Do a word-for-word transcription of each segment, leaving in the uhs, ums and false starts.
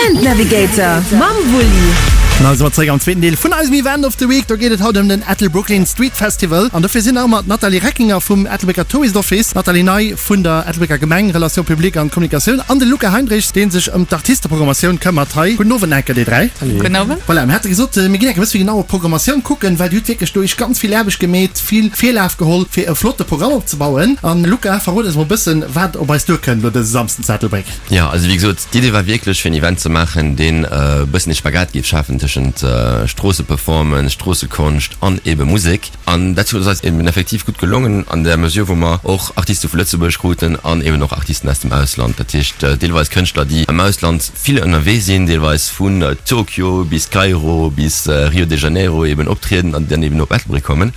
Event Navigator mam Wulli. An also zeréck am zweeten Deel vun eisem Event of the Week. Do geet et haut ëm den Ettelbrooklyn Street Festival. An dofir sinn nach ëmmer d'Nathalie Reckinger vum Ettelbrécker Tourist Office, d'Nathalie Ney vun der Ettelbrécker Gemeng, Relations publiques an Kommunikatioun, an de Luca Heinrichs, dee sech ëm d'Artisteprogrammatioun këmmert hei. Gudden Owend enke déi dräi. Gudden Owend. Voilà, mir hate gesot, mir ginn enke bësse méi genau op d'Programmatioun kucken, well Dir hutt wierklech do Iech ganz vill Aarbecht gemeet, vill Virlaf geholl, fir e flotte Programm opzebauen. An Luca, verrot eis mol e bëssen, wat op eis duerkënnt elo dëse Samsden zu Ettelbréck. Jo, also wéi gesot, d'Idee war wierklech fir en Event ze maachen, deen e bëssen ee Spagat géif schafen tëschent Stroosseperformance, Stroossekonscht an ebe Musek. An dat ass eis eben effektiv gutt gelongen an der Mesure, wou mer och Artiste vu Lëtzebuerg kruten an eben och Artisten aus dem Ausland. Dat heescht deelweis Kënschtler, déi am Ausland vill ënnerwee sinn, deelweis vun Tokio bis Kairo bis Rio de Janeiro eben optrieden an déi dann eben op Ettelbréck kommen.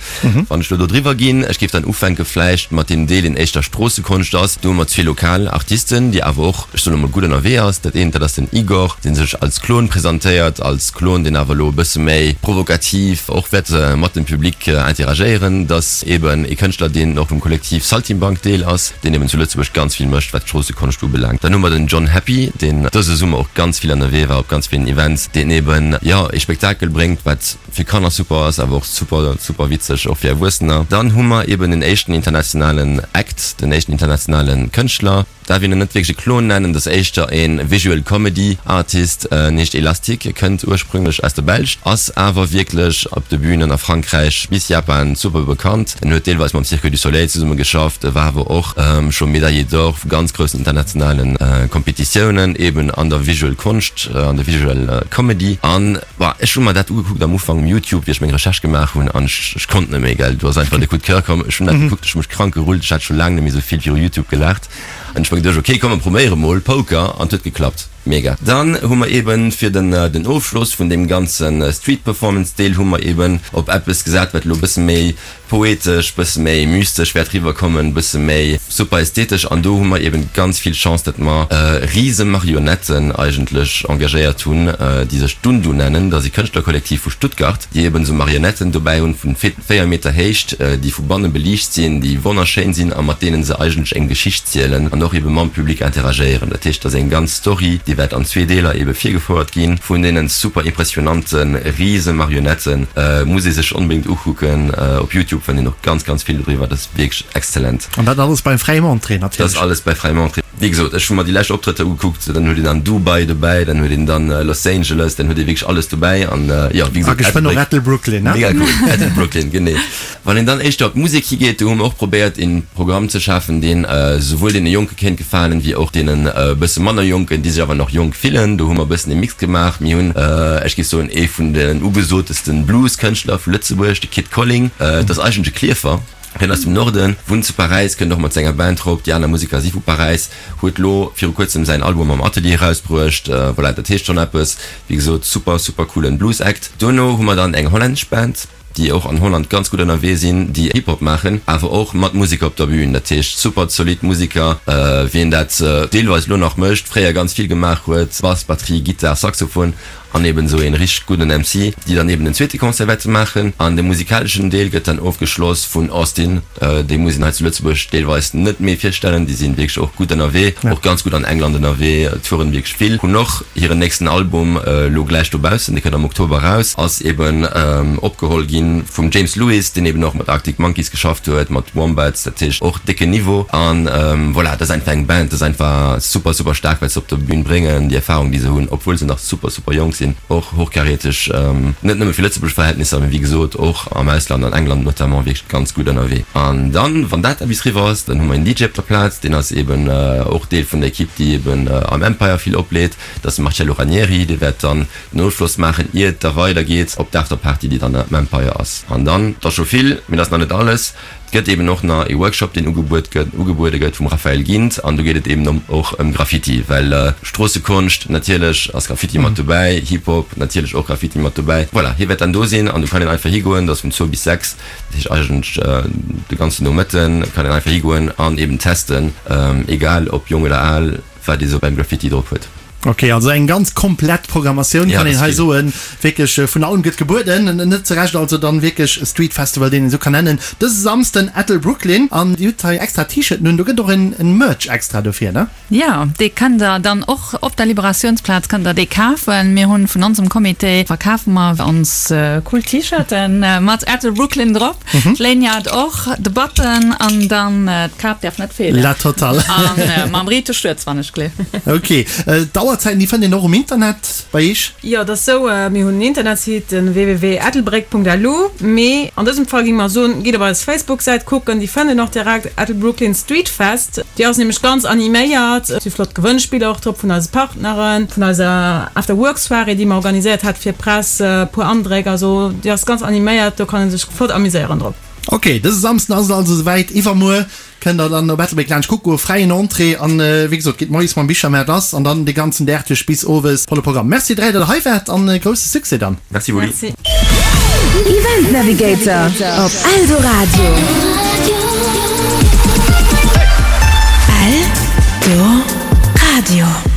Wann ech elo do driwwer ginn, ech géif dann ufänke vläicht mat deem Deel, deen éischter Stroossekonscht ass. Do hu mer zwee lokal Artisten, déi awer och, ech soen emol, gutt ënnerwee ass. Dat eent, dat ass den Igor, dee sech als Klon presentéiert, als Klon, deen awer elo e bësse méi provokativ och wäert mat dem Public interagéieren. Dat ass eben ee Kënschtler, deen och vum Kollektiv Saltimbanque Deel ass, deen eben zu Lëtzebuerg ganz vill mécht, wat d'Stroossekonscht ubelaangt. Dann hu mer den John Happy, deen dëse Summer och ganz vill ënnerwee war op ganz villen Events, deen eben, jo, ee Spektakel bréngt, wat fir Kanner super ass, awer och super, super witzeg och fir Erwuessener. Dann hu mer eben den éischten internationalen Act, den éischten internationale Kënschtler, Darf een en net wierklech e Klon nennen, dat ass éischter e Visual Comedy Artist, en heescht Elastic, kënnt ursprünglech aus der Belsch, ass awer wierklech op de Bünen a Frankräich bis Japan super bekannt. En huet deelweis mam Cirque du Soleil zesumme geschafft, war awer och scho Médaillé d'Or vu ganz groussen internationale Kompetitiounen, eben an der Visual Konscht, an der Visual Comedy. An bon, ech hu mer dat ugekuckt am Ufank um Youtube, wéi ech meng Recherche gemaach hunn, an ech konnt net méi, gell, do ass einfach de Coup de Coeur komm. Ech hunn dat gekuckt, ech hu mech krank gerullt, ech hat scho laang net méi esou vill viru Youtube gelaacht. An ech hu mer geduecht, ok, komm mer probéiere mol Poker, an et huet geklappt. Mega. Dann hu mer eben fir den den Ofschloss vun deem ganze Street Performance Deel hu mer eben op eppes gesat, wat elo e bësse méi poetesch, bësse méi mystesch wäert riwwerkommen, bësse méi super ästhetesch. An do hu mer eben ganz vill Chance, datt mer rise Marionetten eigentlech engagéiert hunn, déi sech Dundu nennen. Dat ass e Kënschtlerkollektiv vu Stuttgart, déi eben esou Marionetten dobäi hunn vun véier Meter Héicht, déi vu banne beliicht sinn, déi wonnerschéin sinn a mat deene se eigentlech eng Geschicht zielen an och ebe mam Public interagéieren. Dat heescht, et ass eng ganz Story, déi wäert an zwee Deeler ebe virgefouert ginn vun deene super impressionante Risemarionetten. Muss ee sech onbedéngt ukucken. Op Youtube fënnt een och ganz, ganz vill doriwwer. Dat ass wierklech exzellent. An dat alles bei fräiem Entrée natierlech. Dat ass alles bei fräiem Entrée. Wéi gesot, ech hu mer déi lescht Optrëtter ugekuckt, dann huet een dann Dubai dobäi, dann huet een dann Los Angeles, dann huet ee wierklech alles dobäi an jo, wéi gesot, A geschwënn och Ettelbrooklyn, ne? Mega cool, Ettelbrooklyn, genee. Wann een dann éischter op d'Musek higeet, do hu mer och probéiert een Programm ze schafen, deen esouwuel deene Jonke kéint gefalen, wéi och deenen e bësse manner Jonken, déi sech awer nach jonk fillen. Do hu mer e bëssen ee Mix gemaach. Mir hunn, ech géif soen, ee vun den ugesotesten Blues-Kënschtler vu Lëtzebuerg, de Kid Colling, dat ass eigentlech e Klierfer. Hien ass dem Norden, wunnt zu Paräis, kënnt och mat senger Band rop, déi aner Museker si vu Paräis, huet lo viru kuerzem säin Album am Atelier erausbruecht. Voilà, dat heescht schonn eppes. Wéi gesot, super, super coolen Blues Act. Dono hu mer dann eng hollännesch Band, déi och an Holland ganz gutt ënnerwee sinn, déi Hip Hop maachen, awer och mat Museker op der Bühn. Dat heescht super zolidd Museker, wien dat deelweis lo nach mécht, fréier ganz vill gemaach huet, Bass, Batterie, Gittar, Saxophon. An eben esou een richteg gudden M C, déi dann eben den zweete Concert wäerte maachen. An de musikaleschen Deel gëtt dann ofgeschloss vun Austin. Déi muss een hei zu Lëtzebuerg deelweis net méi virstellen. Déi sinn wierklech och gutt ënnerwee, och ganz gutt an England ënnerwee, touren wierklech vill, hunn och hiren nächsten Album elo gläich dobaussen, dee kënnt am Oktober eraus, ass eben opgeholl gi vum James Lewis, deen eben och mat Arctic Monkeys geschafft huet, mat Wombats, dat heescht och décken Niveau. An voilà, dat ass einfach eng Band, dat ass einfach super, super staark, wat se op der Bühn bréngen, déi Erfarung, déi se hunn, obwuel se nach super, super jonk sinn, och hochkaräteg, net nëmme fir Lëtzebuerg Verhältnisser, mee wéi gesot och am Ausland, an England notamment, wierklech ganz gutt ënnerwee. An dann, wann dat eppes riwwer ass, dann hu mer een D J op der Plaz, deen ass eben och Deel vun der Equipe, déi eben am Empire vill opleet, dat ass de Marcello Ranieri, dee wäert dann den Ofschloss maachen, ier et da weidergeet op d'Afterparty, déi dann am Empire ass. An dann, et ass scho vill, mee dat ass nach net alles, Et gëtt eben och nach ee Workshop, deen ugebuet gëtt, ugebuede gëtt vum Raphaël Gindt an do geet et eben ëm och ëm Graffiti, well Stroossekonscht, natierlech ass Graffiti mat dobäi, Hip-Hop, natierlech och Graffiti mat dobäi. Voilà, hie wäert dann do sinn an do kann een einfach higoen, dat ass vun zwou bis sechs, dat heescht eigentlech de ganzen Nomëtten kann een einfach higoen an eben testen, egal ob jonk oder al, wat ee sou beim Graffiti drop huet. Ok, also eng ganz komplett Programmatioun kann een hei soen. Wierklech vun allem gëtt gebueden. Net zu Recht also dann wierklech e Street Festival, deen een esou kann nennen. Dëse Samsden Ettelbrooklyn an Dir hutt hei extra T-Shirten un, do gëtt och en Merch extra dofir, ne? Jo, dee kënnt der dann och op der Liberatiounsplaz kënnt der dee kafen. Mir hunn vun onsem Comité verkafe mer ons cool T-Shirten mat Ettelbrooklyn drop. D'Lanyard och, de Button an dann d'Kap däerf net feelen. La totale. An mam Rite Stuerz wann ech gleef. Ok, d'Auerzäiten déi fënnt een och um Internet bei iech? Jo, et ass sou, mir hunn en Internetsite, den www.ettelbréck.lu, mee an dësem Fall géinge mer soen, gitt op eis Facebook-Säit kucken, déi fënnt een och direkt, Ettelbrooklyn Street Fest. Déi ass nämlech ganz animéiert, et si flott Gewënnspiller och drop vun eise Partneren, vun eiser After-Work-Soirée, déi mer organiséiert hat fir d'Press, e puer Andréck, also déi ass ganz animéiert, do kann ee sech flott amuséieren drop. Ok, dëse Samsden ass et also esouwäit, iwwermuer kënnt der dann op Ettelbréck laanscht kucke goen, fräien Entrée an wéi gesot geet moies mam Bichermaart lass an dann de ganzen Dag duerch bis owes volle Programm. Merci dräi, datt der hei waart an grousse Succès dann. Merci Wulli. Event Navigator op Eldoradio. Eldoradio.